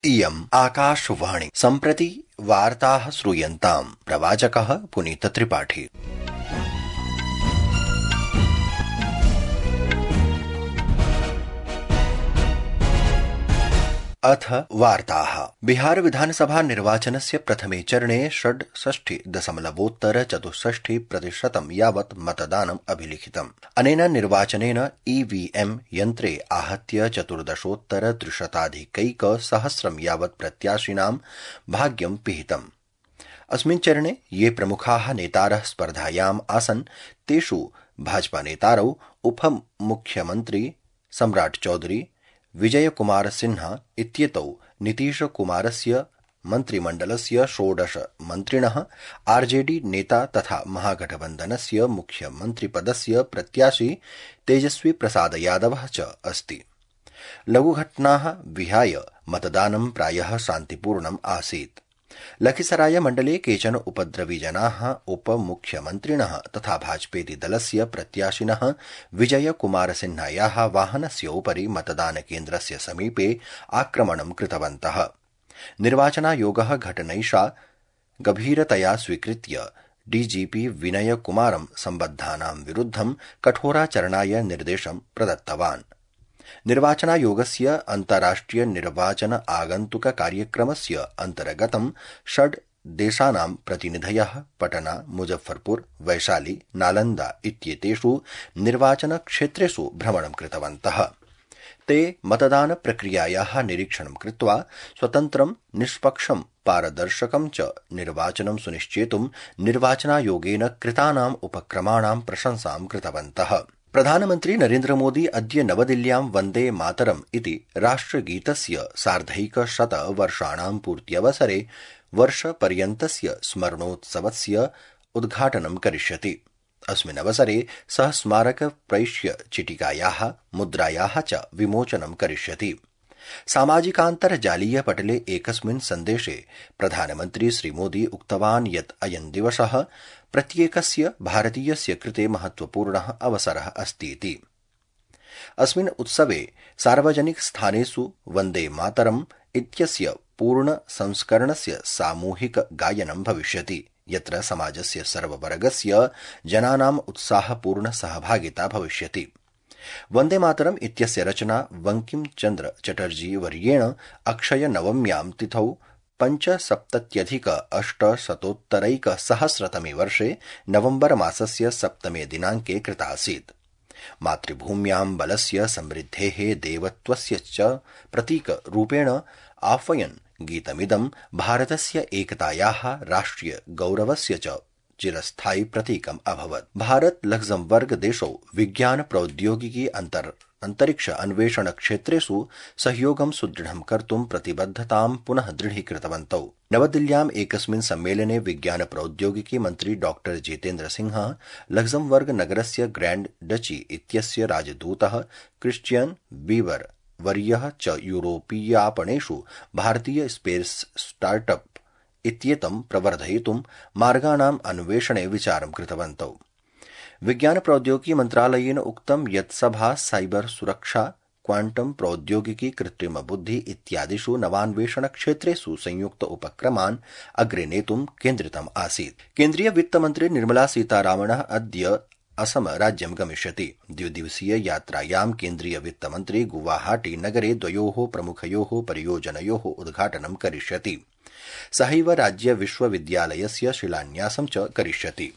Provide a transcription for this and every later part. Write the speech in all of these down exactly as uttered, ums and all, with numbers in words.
इयम् आकाशवाणी। सम्प्रति वार्ताः श्रूयन्ताम्। प्रवाचकः पुनीत त्रिपाठी। अथ वार्ताः। बिहार विधानसभा निर्वाचनस्य प्रथमे चरणे षड्षष्टि दशमलवोत्तर चतुष्षष्टि प्रतिशतं यावत् मतदानम् अभिलिखितम्। अनेन निर्वाचनेन ईवीएम यन्त्रे आहत्य चतुर्दशोत्तर त्रिशताधिकैक सहस्रं यावत् प्रत्याशिनां भाग्यं पिहितम्। अस्मिन् चरणे ये प्रमुखाः नेतारः स्पर्धायाम् आसन् तेषु भाजपा नेतारौ उपमुख्यमन्त्री सम्राट चौधरी, विजय कुमार सिन्हा इत्येतौ नीतीश कुमारस्य मन्त्रिमण्डलस्य षोडश मन्त्रिणः, आरजेडी नेता तथा महागठबन्धनस्य मुख्यमन्त्रिपदस्य प्रत्याशी तेजस्वी प्रसाद यादवः च अस्ति। लघुघटनाः विहाय मतदानं प्रायः शान्तिपूर्णम् आसीत्। लखीसराय मण्डले केचन उपद्रवी जनाः उपमुख्यमन्त्रिणः तथा भाजपेति दलस्य प्रत्याशिनः विजय कुमार सिन्हायाः वाहनस्य उपरि मतदानकेन्द्रस्य समीपे आक्रमणं कृतवन्तः। निर्वाचनायोगः घटनैषा गभीरतया स्वीकृत्य डीजीपी विनय कुमारं सम्बद्धानां विरुद्धं कठोराचरणाय निर्देशं प्रदत्तवान्। निर्वाचनायोगस्य अन्ताराष्ट्रिय निर्वाचन आगन्तुक कार्यक्रमस्य अन्तर्गतं षड् देशानां प्रतिनिधयः पटना, मुजफ्फरपुर, वैशाली, नालन्दा इत्येतेषु निर्वाचनक्षेत्रेषु भ्रमणं कृतवन्तः। ते मतदान प्रक्रियायाः निरीक्षणं कृत्वा स्वतन्त्रं, निष्पक्षं, पारदर्शकं च निर्वाचनं सुनिश्चेतुं निर्वाचनायोगेन कृतानाम् उपक्रमाणां प्रशंसां कृतवन्तः। प्रधानमन्त्री नरेन्द्र मोदी अद्य नवदिल्ल्यां वन्दे मातरम् इति राष्ट्रगीतस्य सार्धैकशत वर्षाणां पूर्त्यवसरे वर्षपर्यन्तस्य स्मरणोत्सवस्य उद्घाटनं करिष्यति। अस्मिन् अवसरे सः स्मारक प्रैष्य चिटिकायाः मुद्रायाः च विमोचनं करिष्यति। सामाजिकान्तर्जालीय पटले एकस्मिन् सन्देशे प्रधानमन्त्री श्रीमोदी उक्तवान् यत् अयं दिवसः प्रत्येकस्य भारतीयस्य कृते महत्वपूर्णः अवसरः अस्तीति। अस्मिन् उत्सवे सार्वजनिक स्थानेषु वन्दे मातरम् इत्यस्य पूर्ण संस्करणस्य सामूहिक गायनं भविष्यति, यत्र समाजस्य सर्ववर्गस्य जनानाम् उत्साहपूर्ण सहभागिता भविष्यति। वन्दे मातरम् इत्यस्य रचना बंकिम चन्द्र चटर्जी वर्येण अक्षय नवम्यां तिथौ पञ्चसप्तत्यधिक अष्टशतोत्तरैक सहस्रतमे वर्षे नवम्बर मासस्य सप्तमे दिनाङ्के कृतासीत्। मातृभूम्यां बलस्य समृद्धेः देवत्वस्य च प्रतीकरूपेण आह्वयन् गीतमिदं भारतस्य एकतायाः, राष्ट्रिय गौरवस्य च चिरस्थायि प्रतीकम् अभवत्। भारत लक्ज़मबर्ग देशौ विज्ञान प्रौद्योगिकी अंतर अंतरिक्ष अन्वेषण क्षेत्रेषु सहयोगं सुदृढं कर्तुं प्रतिबद्धतां पुनः दृढीकृतवन्तौ। नवदिल्ल्याम् एकस्मिन् सम्मेलने विज्ञान प्रौद्योगिकी मन्त्री डॉक्टर जितेन्द्र सिंहः लक्ज़मबर्ग नगरस्य ग्रैंड डची इत्यस्य राजदूतः क्रिश्चियन बीवर वर्यः च यूरोपीयापणेषु भारतीय स्पेस स्टार्टअप इत्येतं प्रवर्धयितुं मार्गाणाम् अन्वेषणे विचारं कृतवन्तौ। विज्ञान प्रौद्योगिकी मन्त्रालयेन उक्तं यत् सभा साइबर सुरक्षा, क्वांटम प्रौद्योगिकी, कृत्रिम बुद्धि इत्यादिषु नवान्वेषण क्षेत्रेषु संयुक्त उपक्रमान् अग्रे नेतुं केन्द्रितम् आसीत्। केन्द्रीय वित्तमन्त्री निर्मला सीतारामणः अद्य असम राज्यं गमिष्यति। द्विदिवसीय यात्रायां केन्द्रीय वित्तमन्त्री गुवाहाटी नगरे द्वयोः प्रमुखयोः परियोजनयोः उद्घाटनं करिष्यति। सहैव राज्य विश्वविद्यालयस्य शिलान्यासं च करिष्यति।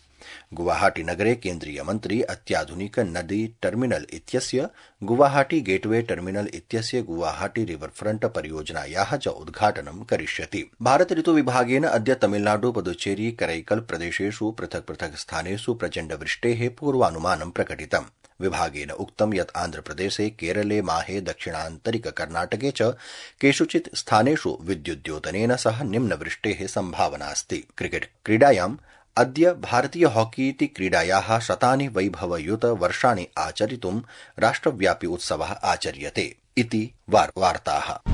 गुवाहाटी नगरे केन्द्रीय मन्त्री अत्याधुनिक नदी टर्मिनल इत्यस्य, गुवाहाटी गेटवे टर्मिनल इत्यस्य, गुवाहाटी रिवरफ्रंट परियोजनायाः च उद्घाटनं करिष्यति। भारत ऋतुविभागेन अद्य तमिलनाडु, पुदुचेरी, करैकल प्रदेशेषु पृथक् पृथक् स्थानेषु प्रचण्डवृष्टेः पूर्वानुमानं प्रकटितम्। विभागेन उक्तं यत् आन्ध्रप्रदेशे, केरले, माहे, दक्षिणान्तरिक कर्णाटके च केषुचित् स्थानेषु विद्युद्योतनेन सह निम्नवृष्टेः सम्भावनास्ति। क्रिकेट क्रीडायाम् अद्य भारतीय हॉकी इति क्रीडायाः शतानि वैभवयुत वर्षाणि आचरितुं राष्ट्रव्यापी उत्सवः आचर्यते इति वार्ताः।